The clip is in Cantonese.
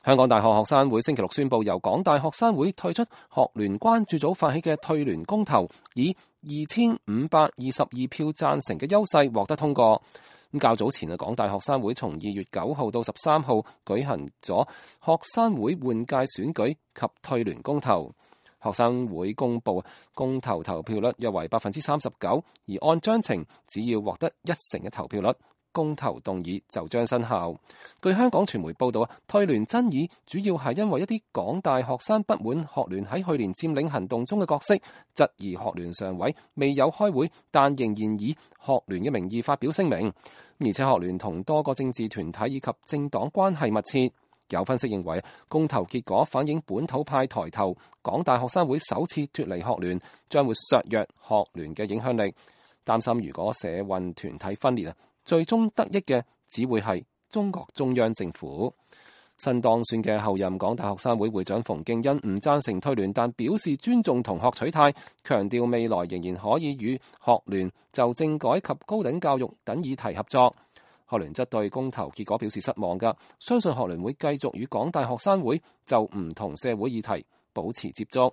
香港大學學生會星期六宣布，由港大學生會退出學聯關注組發起嘅退聯公投，以2522票贊成嘅優勢獲得通過。咁較早前港大學生會從2月9號到13號舉行咗學生會換屆選舉及退聯公投。學生會公布公投投票率約為 39%， 而按章程只要獲得1成嘅投票率，公投動議就將生效。據香港傳媒報道，退聯爭議主要係因為一啲港大學生不滿學聯喺去年佔領行動中嘅角色，質疑學聯常委未有開會，但仍然以學聯嘅名義發表聲明，而且學聯同多個政治團體以及政黨關係密切。有分析認為，公投結果反映本土派抬頭，港大學生會首次脫離學聯，將會削弱學聯嘅影響力。擔心如果社運團體分裂，最終得益嘅只會係中國中央政府。新當選嘅候任港大學生會會長馮敬恩唔贊成退聯，但表示尊重同學取態，強調未來仍然可以與學聯就政改及高等教育等議題合作。學聯則對公投結果表示失望㗎，相信學聯會繼續與港大學生會就唔同社會議題保持接觸。